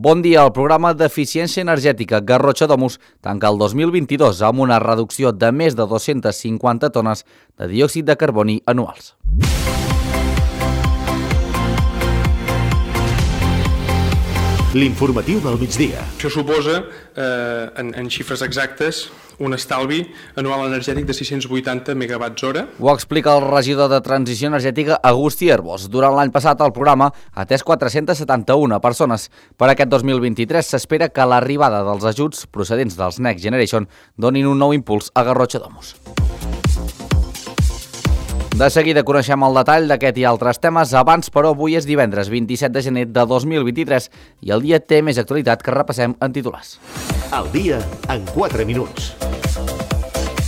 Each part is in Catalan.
Bon dia. El programa d'eficiència energètica Garrotxa Domus tanca el 2022 amb una reducció de més de 250 tones de diòxid de carboni anuals. L'informatiu del migdia. Això suposa, en xifres exactes, un estalvi anual energètic de 680 megawatts hora. Ho explica el regidor de Transició Energètica, Agustí Herbós. Durant l'any passat el programa ha atès 471 persones. Per aquest 2023 s'espera que l'arribada dels ajuts procedents dels Next Generation donin un nou impuls a Garrotxa Domus. De seguida coneixem el detall d'aquest i altres temes. Abans, però, avui és divendres 27 de gener de 2023 i el dia té més actualitat que repassem en titulars. El dia en 4 minuts.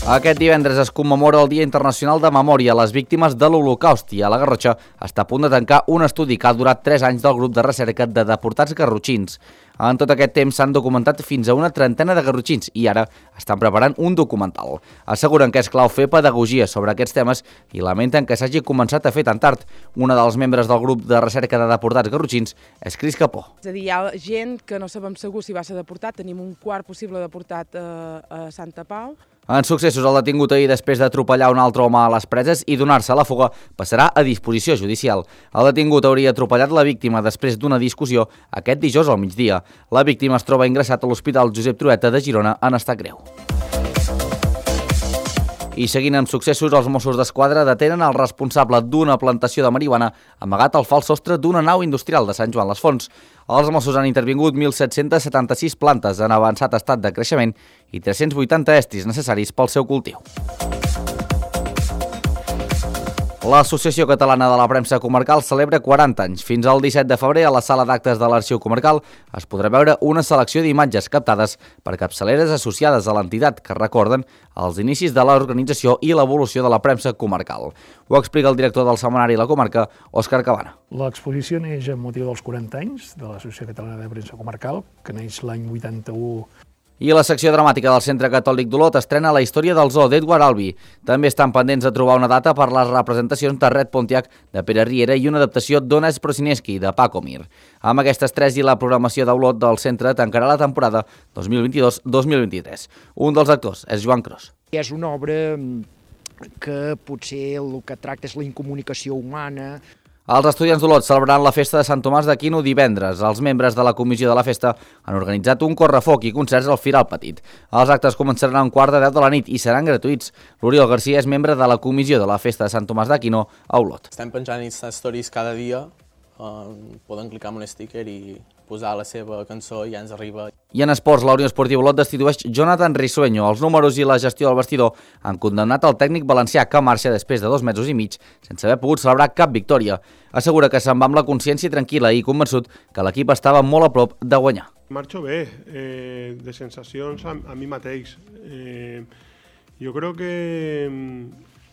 Aquest divendres es commemora el Dia Internacional de Memòria a les Víctimes de l'Holocaust i a la Garrotxa està a punt de tancar un estudi que ha durat 3 anys del grup de recerca de deportats garrotxins. En tot aquest temps s'han documentat fins a una trentena de garrotxins i ara estan preparant un documental. Asseguren que és clau fer pedagogia sobre aquests temes i lamenten que s'hagi començat a fer tan tard. Una dels membres del grup de recerca de deportats garrotxins és Cris Capó. És a dir, hi ha gent que no sabem segur si va ser deportat. Tenim un quart possible deportat a Santa Pau. En successos, el detingut ahir després d'atropellar un altre home a les Preses i donar-se a la fuga passarà a disposició judicial. El detingut hauria atropellat la víctima després d'una discussió aquest dijous al migdia. La víctima es troba ingressat a l'Hospital Josep Trueta de Girona en estat greu. I seguint amb successos, els Mossos d'Esquadra detenen el responsable d'una plantació de marihuana amagat al fals sostre d'una nau industrial de Sant Joan les Fonts. Els Mossos han intervingut 1.776 plantes en avançat estat de creixement i 380 estris necessaris pel seu cultiu. L'Associació Catalana de la Premsa Comarcal celebra 40 anys. Fins al 17 de febrer, a la sala d'actes de l'Arxiu Comarcal es podrà veure una selecció d'imatges captades per capçaleres associades a l'entitat que recorden els inicis de l'organització i l'evolució de la premsa comarcal. Ho explica el director del setmanari La Comarca, Òscar Cabana. L'exposició neix amb motiu dels 40 anys de l'Associació Catalana de Premsa Comarcal, que neix l'any 81. I la secció dramàtica del Centre Catòlic d'Olot estrena la història del zoo d'Edward Albee. També estan pendents de trobar una data per les representacions de Red Pontiac de Pere Riera i una adaptació d'Ones Prosineski de Paco Mir. Amb aquestes tres i la programació d'Olot del centre tancarà la temporada 2022-2023. Un dels actors és Joan Cros. És una obra que potser el que tracta és la incomunicació humana. Els estudiants d'Olot celebraran la festa de Sant Tomàs d'Aquino divendres. Els membres de la comissió de la festa han organitzat un correfoc i concerts al Firal Petit. Els actes començaran a 9:45 de la nit i seran gratuïts. L'Oriol Garcia és membre de la comissió de la festa de Sant Tomàs d'Aquino a Olot. Estem penjant stories cada dia, poden clicar en un sticker i posar la seva cançó i ja ens arriba. I en esports, la Unió Esportiva Olot destitueix Jonathan Risueño. Els números i la gestió del vestidor han condemnat el tècnic valencià que marxa després de 2 mesos i mig sense haver pogut celebrar cap victòria. Assegura que se'n va amb la consciència tranquil·la i convençut que l'equip estava molt a prop de guanyar. Marxo bé, de sensacions a mi mateix. Jo crec que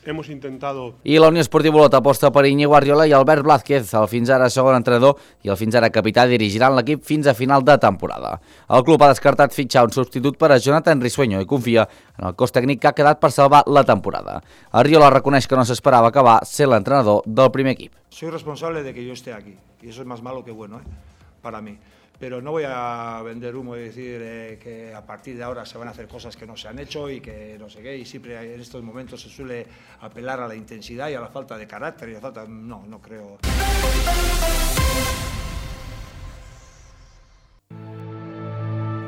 hemos intentado. I la Unió Esportiva Olot aposta per Íñigo Arriola i Albert Blázquez. El fins ara segon entrenador i el fins ara capità dirigiran l'equip fins a final de temporada. El club ha descartat fitxar un substitut per a Jonathan Risueño i confia en el cos tècnic que ha quedat per salvar la temporada. Arriola reconeix que no s'esperava acabar sent l'entrenador del primer equip. Soy responsable de que yo esté aquí y eso es más malo que bueno, para mí. Pero no voy a vender humo y decir que a partir de ahora se van a hacer cosas que no se han hecho y que no sé qué, y siempre en estos momentos se suele apelar a la intensidad y a la falta de carácter y a la falta. No creo.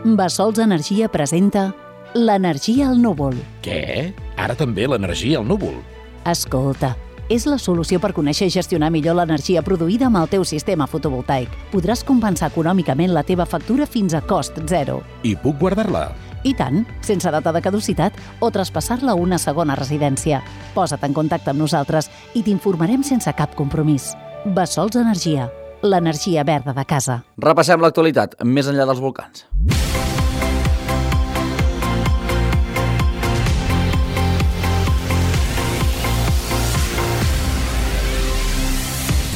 Bassols Energia presenta l'energia al núvol. Què? Ara també l'energia al núvol? Escolta, és la solució per conèixer i gestionar millor l'energia produïda amb el teu sistema fotovoltaic. Podràs compensar econòmicament la teva factura fins a cost zero. I puc guardar-la? I tant, sense data de caducitat o traspassar-la a una segona residència. Posa't en contacte amb nosaltres i t'informarem sense cap compromís. Bassols Energia, l'energia verda de casa. Repassem l'actualitat, més enllà dels volcans.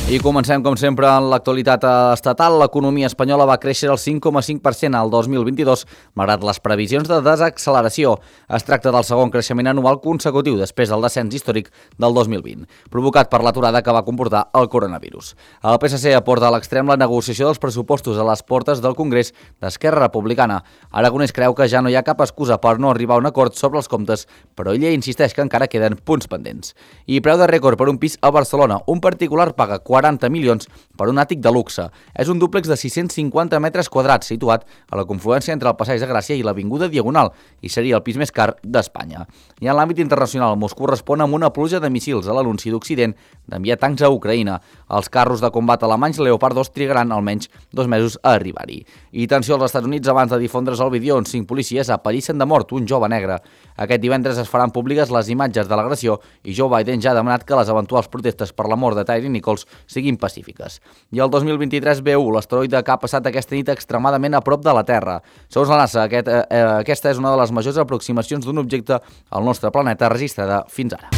I comencem, com sempre, en l'actualitat estatal. L'economia espanyola va créixer el 5,5% al 2022, malgrat les previsions de desacceleració. Es tracta del segon creixement anual consecutiu després del descens històric del 2020, provocat per l'aturada que va comportar el coronavirus. El PSC aporta a l'extrem la negociació dels pressupostos a les portes del Congrés d'Esquerra Republicana. Aragonès creu que ja no hi ha cap excusa per no arribar a un acord sobre els comptes, però ella insisteix que encara queden punts pendents. I preu de rècord per un pis a Barcelona. Un particular paga 40 milions per un àtic de luxe. És un dúplex de 650 metres quadrats situat a la confluència entre el Passeig de Gràcia i l'Avinguda Diagonal i seria el pis més car d'Espanya. I en l'àmbit internacional, Moscou respon amb una pluja de míssils a l'anunci d'Occident d'enviar tancs a Ucraïna. Els carros de combat alemanys Leopard 2 trigaran almenys 2 mesos a arribar-hi. I tensió als Estats Units abans de difondre's el vídeo on 5 policies aparissen de mort un jove negre. Aquest divendres es faran públiques les imatges de l'agressió i Joe Biden ja ha demanat que les eventuals protestes per la mort de Tyre Nichols siguin pacífiques. I el 2023 B1, l'asteroide que ha passat aquesta nit extremadament a prop de la Terra. Segons la NASA, aquesta és una de les majors aproximacions d'un objecte al nostre planeta registrada fins ara.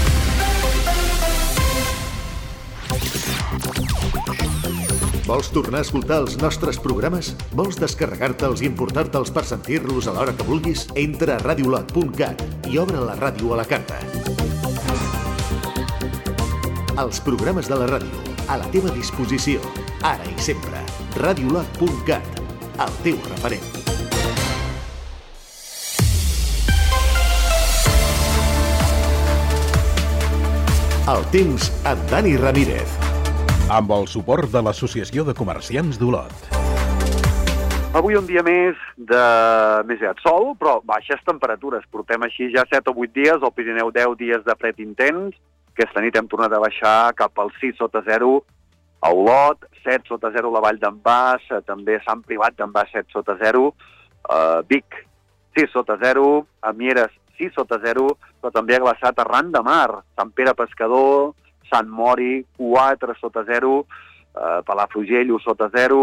Vols tornar a escoltar els nostres programes? Vols descarregar-te'ls i importar-te'ls per sentir-los a l'hora que vulguis? Entra a radiolot.cat i obre la ràdio a la carta. Els programes de la ràdio, a la teva disposició, ara i sempre. Radiolot.cat, el teu referent. El temps amb Dani Ramírez. Amb el suport de l'Associació de Comerciants d'Olot. Avui un dia més de més aviat sol, però baixes temperatures. Portem així ja 7 o 8 dies, al Pirineu 10 dies de fred intens. Aquesta nit hem tornat a baixar cap al 6 sota 0 a Olot, 7 sota 0 a la Vall d'en Bas, també Sant Privat d'en Bas 7 sota 0, Vic 6 sota 0, a Mieres 6 sota 0, però també ha glaçat arran de mar, Sant Pere Pescador, Sant Mori 4 sota 0, Palafrugell 1 sota 0,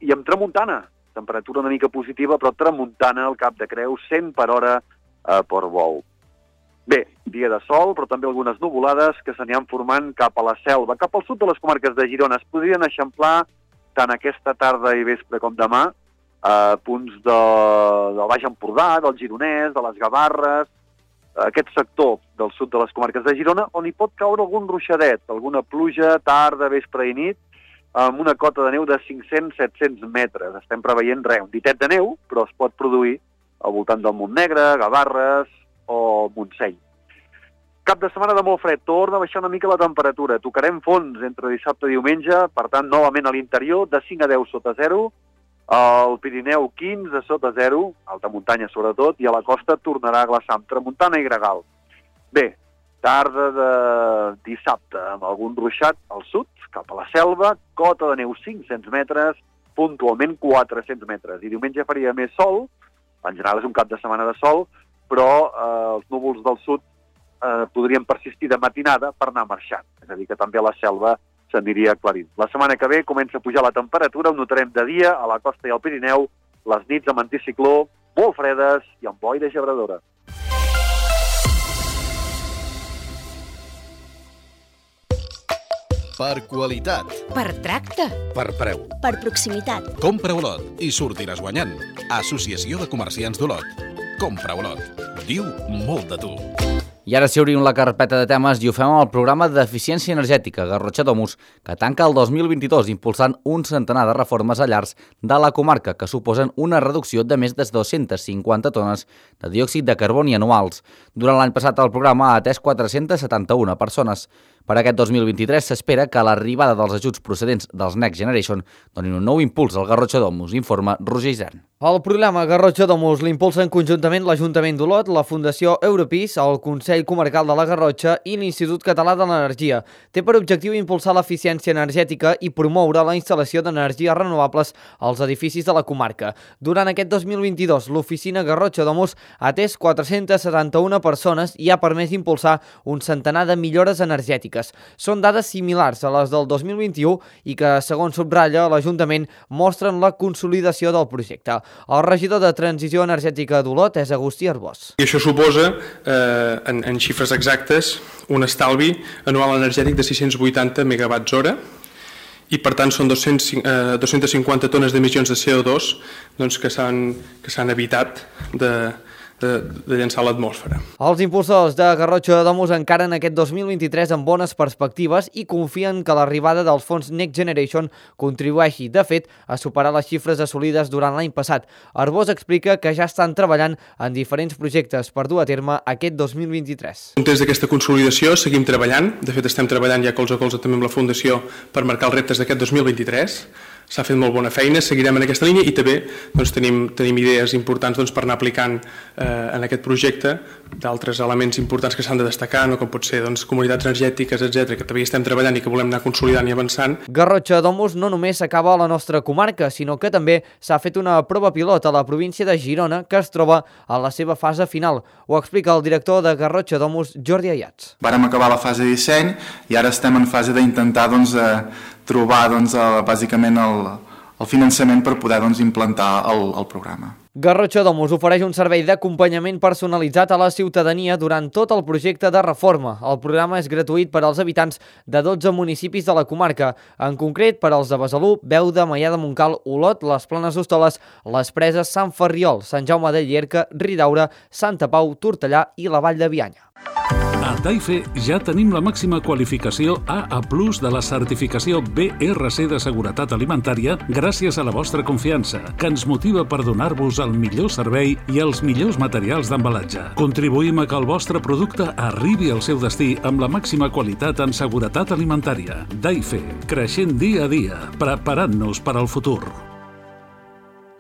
i amb tramuntana, temperatura una mica positiva, però tramuntana al Cap de Creus, 100 per hora a Portbou. Bé, dia de sol, però també algunes nuvolades que s'aniran formant cap a la selva. Cap al sud de les comarques de Girona es podrien eixamplar tant aquesta tarda i vespre com demà punts del Baix Empordà, del Gironès, de les Gavarres, aquest sector del sud de les comarques de Girona, on hi pot caure algun ruixadet, alguna pluja, tarda, vespre i nit, amb una cota de neu de 500-700 metres. Estem preveient un ditet de neu, però es pot produir al voltant del Montnegre, Gavarres o Montseny. Cap de setmana de molt fred, torna a baixar una mica la temperatura. Tocarem fons entre dissabte i diumenge, per tant, novament a l'interior, de 5 a 10 sota 0, al Pirineu 15 sota 0, alta muntanya sobretot, i a la costa tornarà a glaçar amb tramuntana i gregal. Bé, tarda de dissabte, amb algun ruixat al sud, cap a la selva, cota de neu 500 metres, puntualment 400 metres. I diumenge faria més sol, en general és un cap de setmana de sol, però els núvols del sud podrien persistir de matinada per anar marxant. És a dir, que també a la selva s'aniria aclarint. La setmana que ve comença a pujar la temperatura, ho notarem de dia a la costa i al Pirineu, les nits amb anticicló, molt fredes i amb boira gebradora. Per qualitat. Per tracte. Per preu. Per proximitat. Compra Olot i sortiràs guanyant. Associació de Comerciants d'Olot. Compra Olot. Diu molt de tu. I ara sí obrim la carpeta de temes i ho fem amb el programa d'eficiència energètica Garrotxa Domus, que tanca el 2022 impulsant un centenar de reformes a llars de la comarca que suposen una reducció de més de 250 tones de diòxid de carboni anuals. Durant l'any passat el programa ha atès 471 persones. Per aquest 2023 s'espera que l'arribada dels ajuts procedents dels Next Generation donin un nou impuls al Garrotxa Domus, informa Roger Isern. El programa Garrotxa Domus l'impulsen conjuntament l'Ajuntament d'Olot, la Fundació Europis, el Consell Comarcal de la Garrotxa i l'Institut Català de l'Energia. Té per objectiu impulsar l'eficiència energètica i promoure la instal·lació d'energies renovables als edificis de la comarca. Durant aquest 2022, l'oficina Garrotxa Domus ha atès 471 persones i ha permès impulsar un centenar de millores energètiques. Són dades similars a les del 2021 i que, segons subratlla l'Ajuntament, mostren la consolidació del projecte. El regidor de Transició Energètica d'Olot és Agustí Arbós. I això suposa, en xifres exactes, un estalvi anual energètic de 680 megawatts hora i per tant són 250 tones d'emissions de CO2 doncs, que s'han evitat de llançar a l'atmosfera. Els impulsors de Garrotxa de Domus encaren aquest 2023 amb bones perspectives i confien que l'arribada dels fons Next Generation contribueixi, de fet, a superar les xifres assolides durant l'any passat. Arbós explica que ja estan treballant en diferents projectes per dur a terme aquest 2023. En context d'aquesta consolidació seguim treballant, de fet estem treballant ja colze a colze també amb la Fundació per marcar els reptes d'aquest 2023. S'ha fet molt bona feina, seguirem en aquesta línia i també doncs, tenim idees importants doncs, per anar aplicant en aquest projecte d'altres elements importants que s'han de destacar, no? Com pot ser doncs, comunitats energètiques, etc, que també estem treballant i que volem anar consolidant i avançant. Garrotxa Domus no només s'acaba a la nostra comarca, sinó que també s'ha fet una prova pilot a la província de Girona que es troba a la seva fase final. Ho explica el director de Garrotxa Domus, Jordi Ayats. Vàrem acabar la fase de disseny i ara estem en fase d'intentar trobar bàsicament el finançament per poder implantar el programa. Garrotxa Domus ofereix un servei d'acompanyament personalitzat a la ciutadania durant tot el projecte de reforma. El programa és gratuït per als habitants de 12 municipis de la comarca, en concret per als de Besalú, Beuda, Maià de Montcal, Olot, les Planes d'Hostoles, les Preses, Sant Ferriol, Sant Jaume de Llierca, Ridaura, Santa Pau, Tortellà i la Vall de Bianya. A Taife ja tenim la màxima qualificació AA+ de la certificació BRC de seguretat alimentària gràcies a la vostra confiança, que ens motiva per donar-vos el millor servei i els millors materials d'embalatge. Contribuïm a que el vostre producte arribi al seu destí amb la màxima qualitat en seguretat alimentària. Taife, creixent dia a dia, preparant-nos per al futur.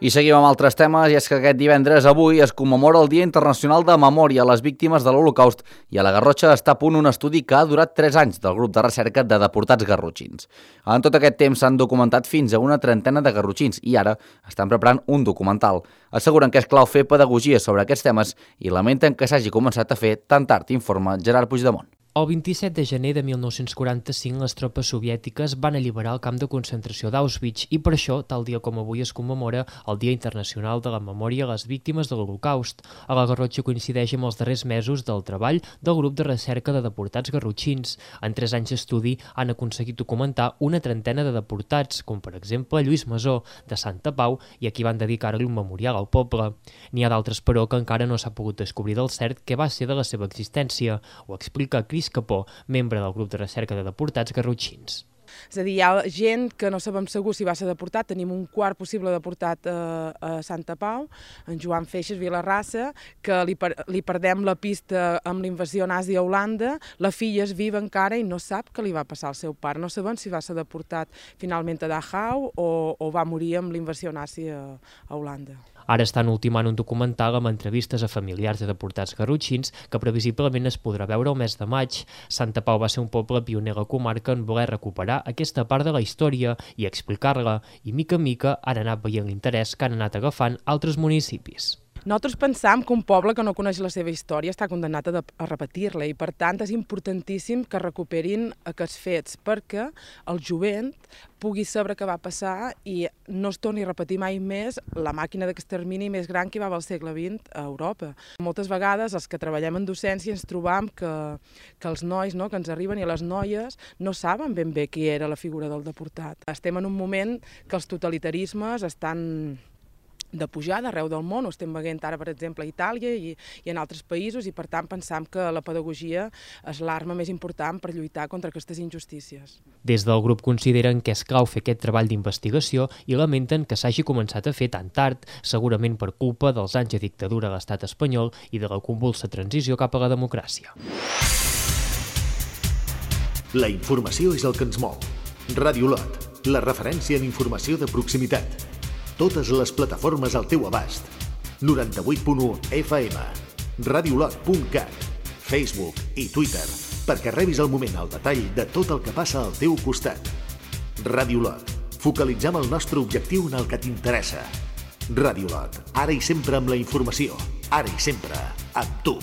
I seguim amb altres temes, i és que aquest divendres avui es commemora el Dia Internacional de Memòria a les Víctimes de l'Holocaust i a la Garrotxa està a punt un estudi que ha durat 3 anys del grup de recerca de deportats garrotxins. En tot aquest temps s'han documentat fins a una trentena de garrotxins i ara estan preparant un documental. Asseguren que és clau fer pedagogia sobre aquests temes i lamenten que s'hagi començat a fer tan tard, informa Gerard Puigdemont. El 27 de gener de 1945 les tropes soviètiques van alliberar el camp de concentració d'Auschwitz i per això, tal dia com avui, es commemora el Dia Internacional de la Memòria a les Víctimes de l'Holocaust. A la Garrotxa coincideix amb els darrers mesos del treball del grup de recerca de deportats garrotxins. En 3 anys d'estudi han aconseguit documentar una trentena de deportats, com per exemple Lluís Masó, de Santa Pau, i a qui van dedicar-li un memorial al poble. N'hi ha d'altres, però, que encara no s'ha pogut descobrir del cert què va ser de la seva existència. Ho explica Cris Capó, membre del grup de recerca de deportats garrotxins. És a dir, hi ha gent que no sabem segur si va ser deportat. Tenim un quart possible deportat a Santa Pau, en Joan Feixes Vilarrassa, que li perdem la pista amb la invasió nazi a Holanda. La filla és viva encara i no sap què li va passar al seu pare. No sabem si va ser deportat finalment a Dachau o va morir amb la invasió nazi a Holanda. Ara estan ultimant un documental amb entrevistes a familiars de deportats garrotxins que previsiblement es podrà veure el mes de maig. Santa Pau va ser un poble pioner a la comarca en voler recuperar aquesta part de la història i explicar-la, i mica en mica han anat veient l'interès que han anat agafant altres municipis. Nosaltres pensam que un poble que no coneix la seva història està condemnat a repetir-la i, per tant, és importantíssim que recuperin aquests fets perquè el jovent pugui saber què va passar i no es torni a repetir mai més la màquina d'extermini més gran que hi va haver al segle XX a Europa. Moltes vegades els que treballem en docència ens trobam que els nois que ens arriben i les noies no saben ben bé qui era la figura del deportat. Estem en un moment que els totalitarismes estan de pujada arreu del món, ho estem veient ara, per exemple, a Itàlia i en altres països, i per tant pensam que la pedagogia és l'arma més important per lluitar contra aquestes injustícies. Des del grup consideren que és clau fer aquest treball d'investigació i lamenten que s'hagi començat a fer tan tard, segurament per culpa dels anys de dictadura a l'estat espanyol i de la convulsa transició cap a la democràcia. La informació és el que ens mou. Ràdio Olot, la referència en informació de proximitat. Totes les plataformes al teu abast. 98.1 FM, radiolot.cat, Facebook i Twitter, perquè rebis al moment el detall de tot el que passa al teu costat. Ràdio Olot, focalitzam el nostre objectiu en el que t'interessa. Ràdio Olot, ara i sempre amb la informació, ara i sempre amb tu.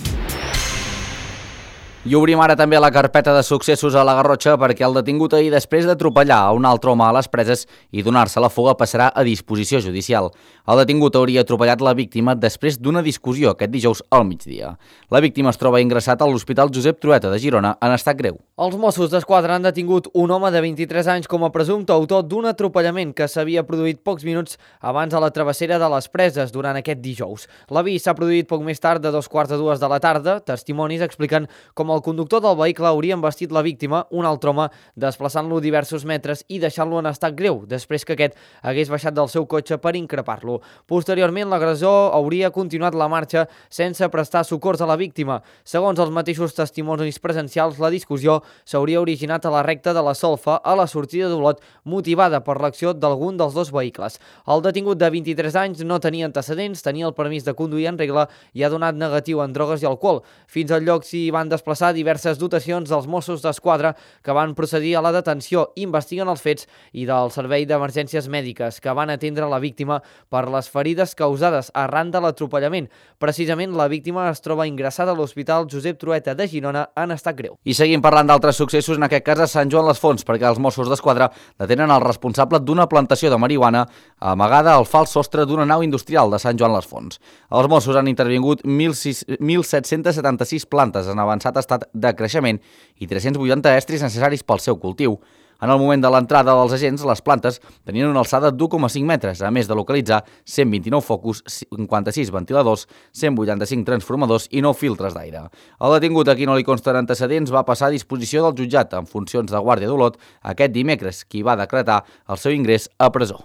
I obrim ara també la carpeta de successos a la Garrotxa perquè el detingut ahir, després d'atropellar a un altre home a les Preses i donar-se la fuga, passarà a disposició judicial. El detingut hauria atropellat la víctima després d'una discussió aquest dijous al migdia. La víctima es troba ingressat a l'Hospital Josep Trueta de Girona en estat greu. Els Mossos d'Esquadra han detingut un home de 23 anys com a presumpte autor d'un atropellament que s'havia produït pocs minuts abans a la travessera de les Preses durant aquest dijous. L'avís s'ha produït poc més tard de 2:45 de la tarda. Testimonis expliquen com el conductor del vehicle hauria embestit la víctima, un altre home, desplaçant-lo diversos metres i deixant-lo en estat greu, després que aquest hagués baixat del seu cotxe per increpar-lo. Posteriorment, l'agressor hauria continuat la marxa sense prestar socors a la víctima. Segons els mateixos testimonis presencials, la discussió s'hauria originat a la recta de la Solfa a la sortida d'Olot, motivada per l'acció d'algun dels dos vehicles. El detingut de 23 anys no tenia antecedents, tenia el permís de conduir en regla i ha donat negatiu en drogues i alcohol. Fins al lloc s'hi van desplaçar diverses dotacions dels Mossos d'Esquadra que van procedir a la detenció, investiguen els fets, i del Servei d'Emergències Mèdiques, que van atendre la víctima per les ferides causades arran de l'atropellament. Precisament, la víctima es troba ingressada a l'Hospital Josep Trueta de Girona en estat greu. I seguim parlant d'altres successos, en aquest cas a Sant Joan les Fonts, perquè els Mossos d'Esquadra detenen el responsable d'una plantació de marihuana amagada al fals sostre d'una nau industrial de Sant Joan les Fonts. Els Mossos han intervingut 1.776 plantes en avançat estat de creixement i 380 estris necessaris pel seu cultiu. En el moment de l'entrada dels agents, les plantes tenien una alçada d'1,5 metres, a més de localitzar 129 focus, 56 ventiladors, 185 transformadors i 9 filtres d'aire. El detingut, a qui no li consten antecedents, va passar a disposició del jutjat en funcions de guàrdia d'Olot aquest dimecres, qui va decretar el seu ingrés a presó.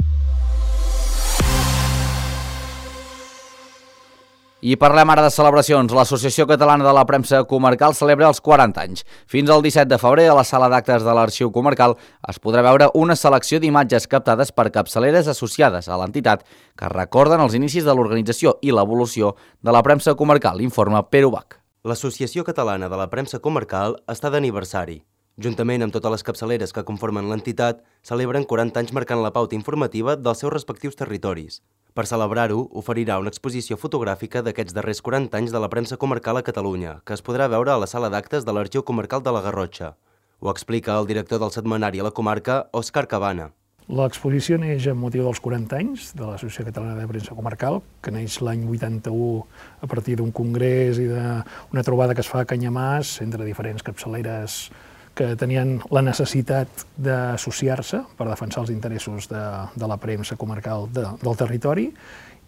I parlem ara de celebracions. L'Associació Catalana de la Premsa Comarcal celebra els 40 anys. Fins al 17 de febrer, a la sala d'actes de l'Arxiu Comarcal, es podrà veure una selecció d'imatges captades per capçaleres associades a l'entitat que recorden els inicis de l'organització i l'evolució de la premsa comarcal, informa Pere Ubach. L'Associació Catalana de la Premsa Comarcal està d'aniversari. Juntament amb totes les capçaleres que conformen l'entitat, celebren 40 anys marcant la pauta informativa dels seus respectius territoris. Per celebrar-ho, oferirà una exposició fotogràfica d'aquests darrers 40 anys de la premsa comarcal a Catalunya, que es podrà veure a la sala d'actes de l'Arxiu Comarcal de la Garrotxa. Ho explica el director del setmanari a la comarca, Òscar Cabana. L'exposició neix amb motiu dels 40 anys de l'Associació Catalana de Premsa Comarcal, que neix l'any 81 a partir d'un congrés i d'una trobada que es fa a Canyamàs entre diferents capçaleres que tenien la necessitat d'associar-se per defensar els interessos de la premsa comarcal del territori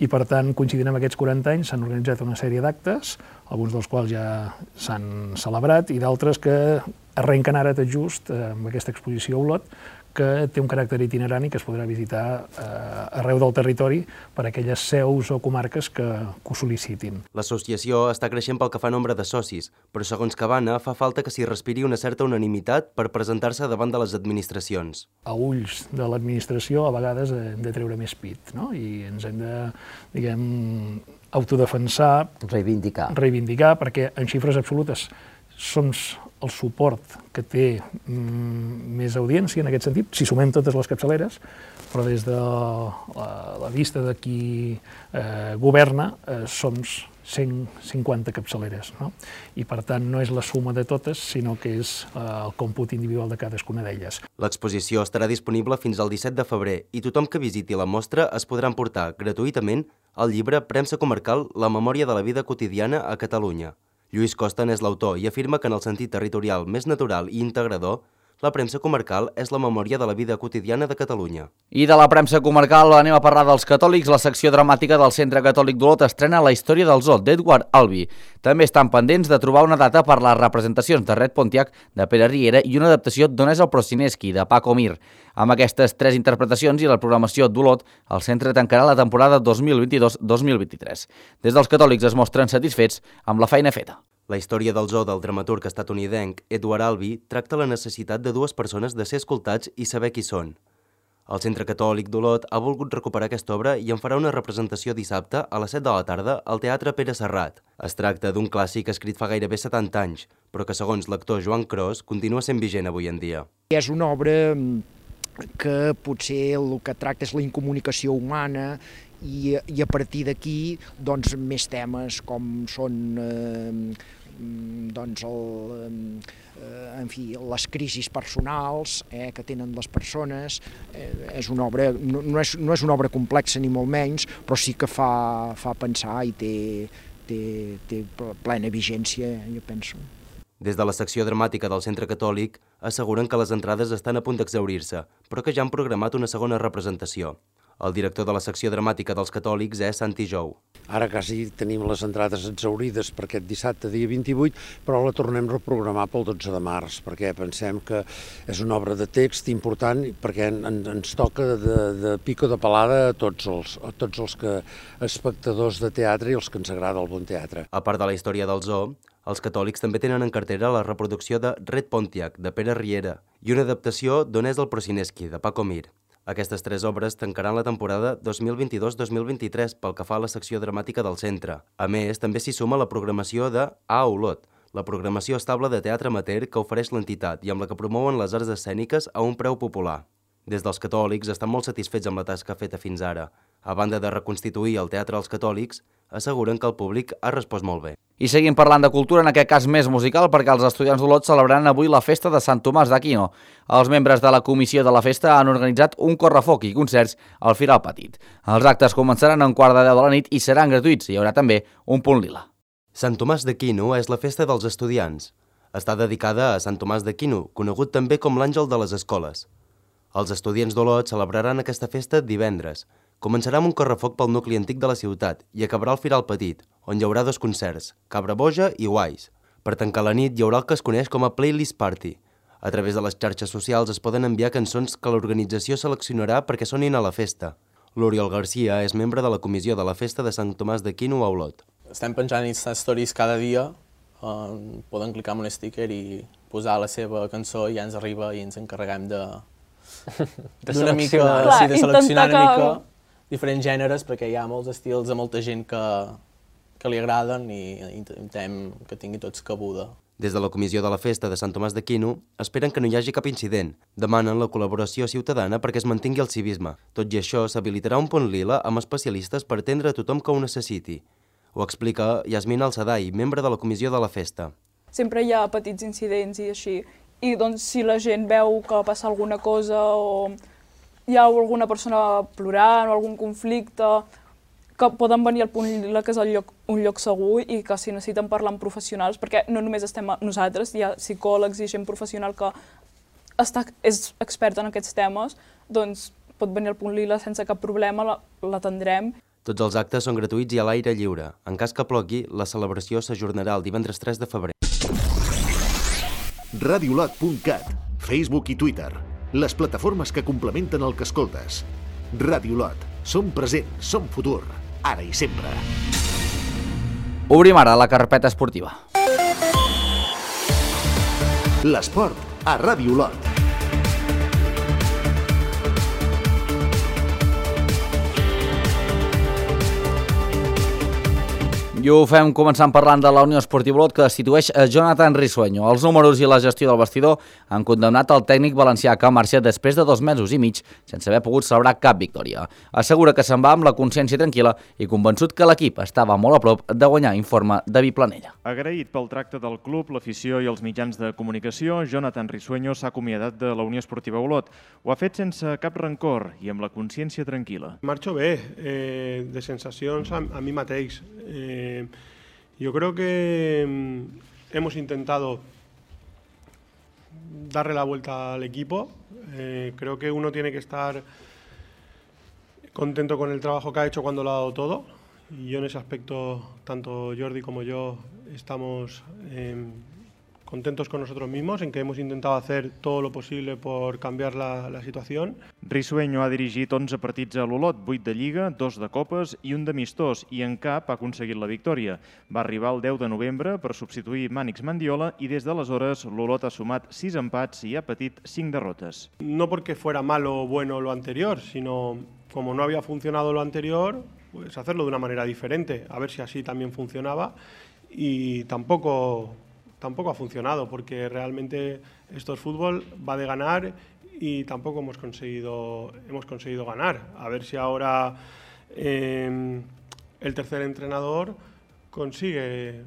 i, per tant, coincidint amb aquests 40 anys, s'han organitzat una sèrie d'actes, alguns dels quals ja s'han celebrat i d'altres que arrenquen ara tot just amb aquesta exposició a Olot, que té un caràcter itinerant i que es podrà visitar arreu del territori per aquelles seus o comarques que ho sol·licitin. L'associació està creixent pel que fa nombre de socis, però segons Cabana fa falta que s'hi respiri una certa unanimitat per presentar-se davant de les administracions. A ulls de l'administració a vegades hem de treure més pit, no? I ens hem de, diguem, autodefensar, reivindicar, perquè en xifres absolutes som el suport que té més audiència en aquest sentit, si sumem totes les capçaleres, però des de la vista de qui governa som 150 capçaleres, no? I per tant no és la suma de totes, sinó que és el còmput individual de cadascuna d'elles. L'exposició estarà disponible fins al 17 de febrer i tothom que visiti la mostra es podrà emportar gratuïtament el llibre Premsa Comarcal, la memòria de la vida quotidiana a Catalunya. Lluís Costa n'és l'autor i afirma que en el sentit territorial més natural i integrador, la premsa comarcal és la memòria de la vida quotidiana de Catalunya. I de la premsa comarcal anem a parlar dels catòlics. La secció dramàtica del Centre Catòlic d'Olot estrena La història del zoo, d'Edward Albee. També estan pendents de trobar una data per les representacions de Red Pontiac, de Pere Riera i una adaptació d'On és el Procineschi, de Paco Mir. Amb aquestes 3 interpretacions i la programació d'Olot, el centre tancarà la temporada 2022-2023. Des dels catòlics es mostren satisfets amb la feina feta. La història del zoo del dramaturg estatunidenc Edward Albee tracta la necessitat de 2 persones de ser escoltats i saber qui són. El Centre Catòlic d'Olot ha volgut recuperar aquesta obra i en farà una representació dissabte a les 7 de la tarda al Teatre Pere Serrat. Es tracta d'un clàssic escrit fa gairebé 70 anys, però que segons l'actor Joan Cros continua sent vigent avui en dia. És una obra que potser el que tracta és la incomunicació humana i a partir d'aquí doncs, més temes com són les crisis personals que tenen les persones. És una obra, no és una obra complexa ni molt menys, però sí que fa pensar i té plena vigència, jo penso. Des de la secció dramàtica del Centre Catòlic asseguren que les entrades estan a punt d'exhaurir-se, però que ja han programat una segona representació. El director de la secció dramàtica dels Catòlics és Santi Jou. Ara quasi tenim les entrades exhaurides per aquest dissabte, dia 28, però la tornem a reprogramar pel 12 de març, perquè pensem que és una obra de text important, perquè ens toca de pico de palada a tots els espectadors de teatre i els que ens agrada el bon teatre. A part de la història del zoo, els Catòlics també tenen en cartera la reproducció de Red Pontiac, de Pere Riera, i una adaptació d'On és el Procineschi, de Paco Mir. Aquestes tres obres tancaran la temporada 2022-2023 pel que fa a la secció dramàtica del centre. A més, també s'hi suma la programació de A Olot, la programació estable de teatre amateur que ofereix l'entitat i amb la que promouen les arts escèniques a un preu popular. Des dels Catòlics estan molt satisfets amb la tasca feta fins ara. A banda de reconstituir el teatre als Catòlics, asseguren que el públic ha respost molt bé. I seguim parlant de cultura, en aquest cas més musical, perquè els estudiants d'Olot celebraran avui la festa de Sant Tomàs d'Aquino. Els membres de la comissió de la festa han organitzat un correfoc i concerts al Firal Petit. Els actes començaran a 9:45 de la nit i seran gratuïts. Hi haurà també un punt lila. Sant Tomàs d'Aquino és la festa dels estudiants. Està dedicada a Sant Tomàs d'Aquino, conegut també com l'àngel de les escoles. Els estudiants d'Olot celebraran aquesta festa divendres. Començarà amb un correfoc pel nucli antic de la ciutat i acabarà al Firal Petit, on hi haurà dos concerts, Cabra Boja i Guais. Per tancar la nit hi haurà el que es coneix com a Playlist Party. A través de les xarxes socials es poden enviar cançons que l'organització seleccionarà perquè sonin a la festa. L'Oriol Garcia és membre de la comissió de la festa de Sant Tomàs d'Aquino a Olot. Estem penjant Insta Stories cada dia, poden clicar en un sticker i posar la seva cançó i ja ens arriba i ens encarreguem de seleccionar una mica diferents gèneres, perquè hi ha molts estils de molta gent que li agraden i intentem que tingui tots cabuda. Des de la comissió de la festa de Sant Tomàs d'Aquino esperen que no hi hagi cap incident. Demanen la col·laboració ciutadana perquè es mantingui el civisme. Tot i això, s'habilitarà un punt lila amb especialistes per atendre a tothom que ho necessiti. Ho explica Yasmina Alsadai, membre de la comissió de la festa. Sempre hi ha petits incidents i així. I doncs si la gent veu que passa alguna cosa o hi ha alguna persona plorant o algun conflicte, que poden venir al punt lila, que és un lloc segur i que si necessiten parlar amb professionals, perquè no només estem nosaltres, hi ha psicòlegs i gent professional que és experta en aquests temes, doncs pot venir al punt lila sense cap problema, l'atendrem. Tots els actes són gratuïts i a l'aire lliure. En cas que plogui, la celebració s'ajornarà el divendres 3 de febrer. Radiolot.cat, Facebook i Twitter, les plataformes que complementen el que escoltes. Radiolot, som present, som futur, ara i sempre. Obrim ara la carpeta esportiva. L'esport a Radiolot. I ho fem començant parlant de la Unió Esportiva Olot, que destitueix a Jonathan Risueño. Els números i la gestió del vestidor han condemnat el tècnic valencià que ha marxat després de 2 mesos i mig sense haver pogut celebrar cap victòria. Assegura que se'n va amb la consciència tranquil·la i convençut que l'equip estava molt a prop de guanyar, informa David Planella. Agraït pel tracte del club, l'afició i els mitjans de comunicació, Jonathan Risueño s'ha acomiadat de la Unió Esportiva Olot. Ho ha fet sense cap rancor i amb la consciència tranquil·la. Marxo bé, de sensacions a mi mateix. Yo creo que hemos intentado darle la vuelta al equipo. Creo que uno tiene que estar contento con el trabajo que ha hecho cuando lo ha dado todo. Y yo en ese aspecto, tanto Jordi como yo, estamos contentos con nosotros mismos, en que hemos intentado hacer todo lo posible por cambiar la situación. Risueño ha dirigit 11 partits a l'Olot, 8 de Lliga, 2 de Copes i un d'amistós, i en cap ha aconseguit la victòria. Va arribar el 10 de novembre per substituir Mànix Mandiola i des d'aleshores l'Olot ha sumat 6 empats i ha patit 5 derrotes. No porque fuera malo o bueno lo anterior, sino como no había funcionado lo anterior, pues hacerlo de una manera diferente, a ver si así también funcionaba, y tampoco ha funcionado, porque realmente esto es fútbol, va de ganar y tampoco hemos conseguido ganar. A ver si ahora el tercer entrenador consigue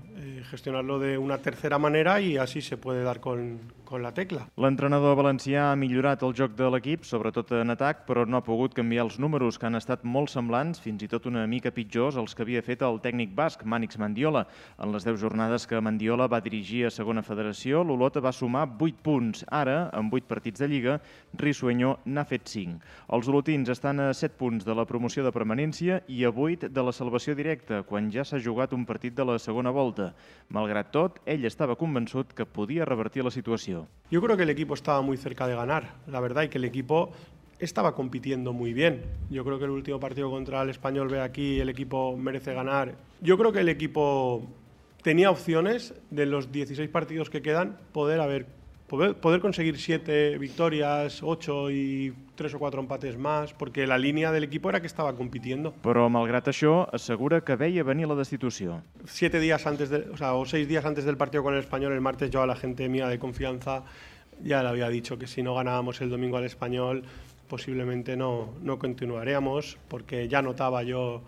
gestionarlo de una tercera manera y así se puede dar con con la tecla. L'entrenador valencià ha millorat el joc de l'equip, sobretot en atac, però no ha pogut canviar els números, que han estat molt semblants, fins i tot una mica pitjors, als que havia fet el tècnic basc, Mànix Mendiola. En les 10 jornades que Mendiola va dirigir a segona federació, l'Olot va sumar 8 punts. Ara, amb 8 partits de Lliga, Risueño n'ha fet 5. Els olotins estan a 7 punts de la promoció de permanència i a 8 de la salvació directa, quan ja s'ha jugat un partit de la segona volta. Malgrat tot, ell estava convençut que podia revertir la situació. Yo creo que el equipo estaba muy cerca de ganar, la verdad, y que el equipo estaba compitiendo muy bien. Yo creo que el último partido contra el Español, ve aquí, el equipo merece ganar. Yo creo que el equipo tenía opciones de los 16 partidos que quedan poder conseguir 7 victorias, 8 y 3 o 4 empates más, porque la línea del equipo era que estaba compitiendo. Però, malgrat això, assegura que veia venir la destitució. 6 días antes del partido con el Español, el martes, yo a la gente mía de confianza ya le había dicho que si no ganábamos el domingo al Español, posiblemente no continuaríamos, porque ya notaba yo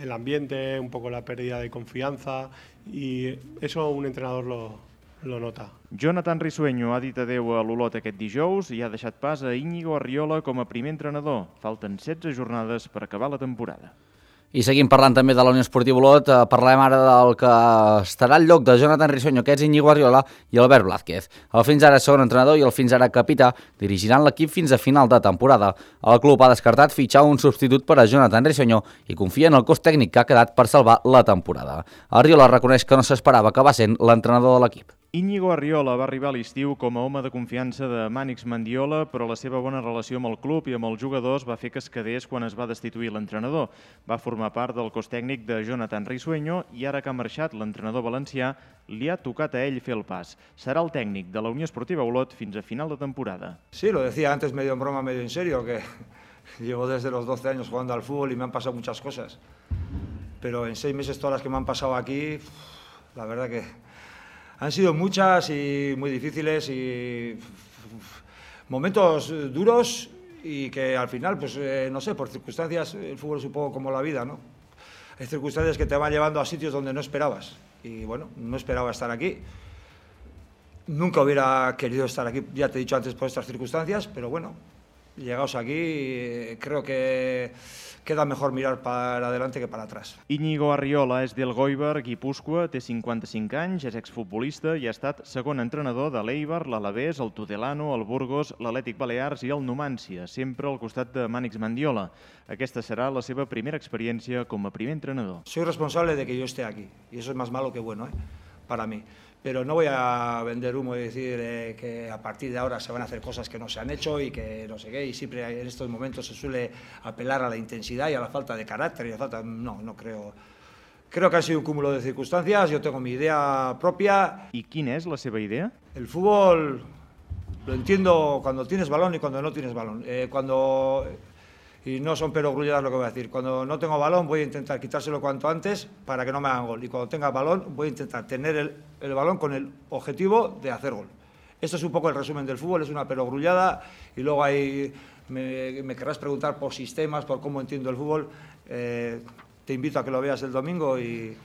el ambiente, un poco la pérdida de confianza, y eso un entrenador lo nota. Jonathan Risueño ha dit adeu a l'Olot aquest dijous i ha deixat pas a Íñigo Arriola com a primer entrenador. Falten 16 jornades per acabar la temporada. I seguim parlant també de la Unió Esportiva Olot. Parlem ara del que estarà al lloc de Jonathan Risueño, que és Íñigo Arriola i Albert Blázquez. El fins ara segon entrenador i el fins ara capità dirigiran l'equip fins a final de temporada. El club ha descartat fitxar un substitut per a Jonathan Risueño i confia en el cos tècnic que ha quedat per salvar la temporada. Arriola reconeix que no s'esperava acabar sent l'entrenador de l'equip. Íñigo Arriola va arribar a l'estiu com a home de confiança de Mànix Mendiola, però la seva bona relació amb el club i amb els jugadors va fer que es quedés quan es va destituir l'entrenador. Va formar part del cos tècnic de Jonathan Risueño i ara que ha marxat l'entrenador valencià, li ha tocat a ell fer el pas. Serà el tècnic de la Unió Esportiva Olot fins a final de temporada. Sí, lo decía antes medio en broma, medio en serio, que llevo desde los 12 años jugando al fútbol y me han pasado muchas cosas. Pero en 6 meses todas las que me han pasado aquí, la verdad que han sido muchas y muy difíciles y momentos duros y que al final, pues no sé, por circunstancias, el fútbol es un poco como la vida, ¿no? Hay circunstancias que te van llevando a sitios donde no esperabas y bueno, no esperaba estar aquí. Nunca hubiera querido estar aquí, ya te he dicho antes, por estas circunstancias, pero bueno, llegados aquí, creo que queda mejor mirar para adelante que para atrás. Íñigo Arriola és del Goibar, Guipúscoa, té 55 anys, és exfutbolista i ha estat segon entrenador de l'Eibar, l'Alavés, el Tudelano, el Burgos, l'Atlètic Balears i el Numància, sempre al costat de Mànix Mendiola. Aquesta serà la seva primera experiència com a primer entrenador. Soy responsable de que yo esté aquí, y eso es más malo que bueno, para mí. Pero no voy a vender humo y decir que a partir de ahora se van a hacer cosas que no se han hecho y que no sé qué, y siempre en estos momentos se suele apelar a la intensidad y a la falta de carácter y a la falta... No creo. Creo que ha sido un cúmulo de circunstancias, yo tengo mi idea propia. ¿Y quién es la seva idea? El fútbol lo entiendo cuando tienes balón y cuando no tienes balón. Y no son perogrulladas lo que voy a decir. Cuando no tengo balón voy a intentar quitárselo cuanto antes para que no me hagan gol. Y cuando tenga balón voy a intentar tener el balón con el objetivo de hacer gol. Esto es un poco el resumen del fútbol, es una perogrullada y luego ahí me querrás preguntar por sistemas, por cómo entiendo el fútbol. Te invito a que lo veas el domingo y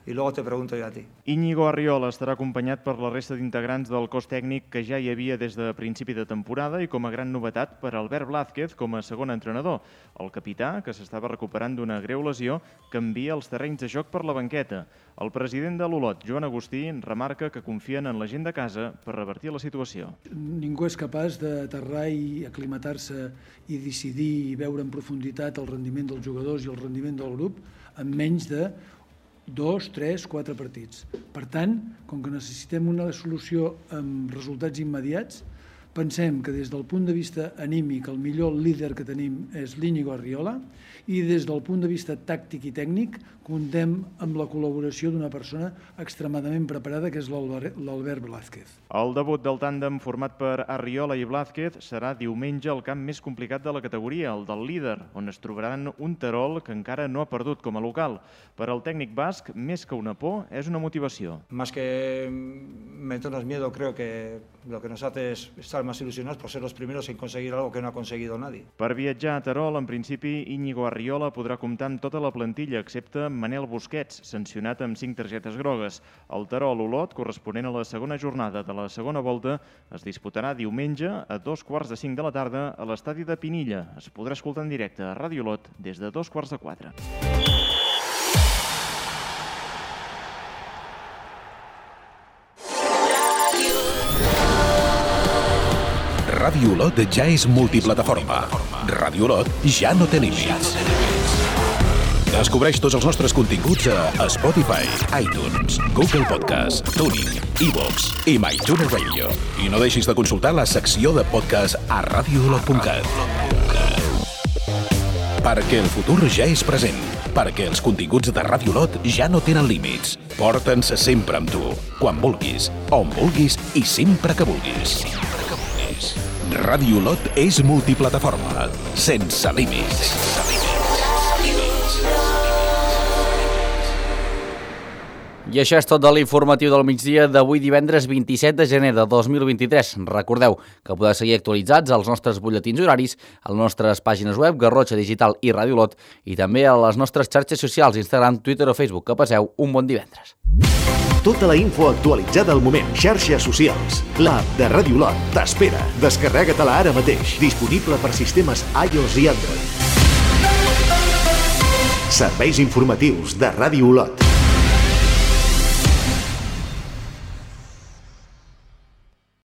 luego te pregunto yo a ti. Íñigo Arriola estarà acompanyat per la resta d'integrants del cos tècnic que ja hi havia des de principi de temporada i com a gran novetat per Albert Blázquez com a segon entrenador. El capità, que s'estava recuperant d'una greu lesió, canvia els terrenys de joc per la banqueta. El president de l'Olot, Joan Agustí, remarca que confien en la gent de casa per revertir la situació. Ningú és capaç d'aterrar i aclimatar-se i decidir i veure en profunditat el rendiment dels jugadors i el rendiment del grup en menys de 2, 3, 4 partits. Per tant, com que necessitem una solució amb resultats immediats, pensem que des del punt de vista anímic el millor líder que tenim és l'Íñigo Arriola i des del punt de vista tàctic i tècnic comptem amb la col·laboració d'una persona extremadament preparada que és l'Albert Blázquez. El debut del tàndem format per Arriola i Blázquez serà diumenge al camp més complicat de la categoria, el del líder, on es trobaran un Terol que encara no ha perdut com a local. Per al tècnic basc, més que una por, és una motivació. Más que meternos miedo, creo que lo que nos hace es estar más ilusionados por ser los primeros en conseguir algo que no ha conseguido nadie. Per viatjar a Terol, en principi, Íñigo Arriola podrà comptar amb tota la plantilla, excepte Manel Busquets, sancionat amb 5 targetes grogues. El Terol-Olot, corresponent a la segona jornada de la segona volta, es disputarà diumenge a 2:45 de la tarda a l'estadi de Pinilla. Es podrà escoltar en directe a Ràdio Olot des de 3:45. Ràdio Olot ja és multiplataforma. Ràdio Olot ja no té límits. Descobreix tots els nostres continguts a Spotify, iTunes, Google Podcast, TuneIn, iVoox i MyTuner Radio. I no deixis de consultar la secció de podcast a radioolot.cat. Perquè el futur ja és present. Perquè els continguts de Ràdio Olot ja no tenen límits. Porta'ns sempre amb tu, quan vulguis, on vulguis i sempre que vulguis. Ràdio Olot és multiplataforma, sense límits. I això és tot de l'informatiu del migdia d'avui divendres 27 de gener de 2023. Recordeu que podeu seguir actualitzats als nostres butlletins horaris, a les nostres pàgines web, Garrotxa Digital i Ràdio Olot, i també a les nostres xarxes socials, Instagram, Twitter o Facebook. Que passeu un bon divendres. Tota la info actualitzada al moment. Xarxes socials. L'app de Ràdio Olot t'espera. Descarrega-te-la ara mateix. Disponible per sistemes iOS i Android. Serveis informatius de Ràdio Olot.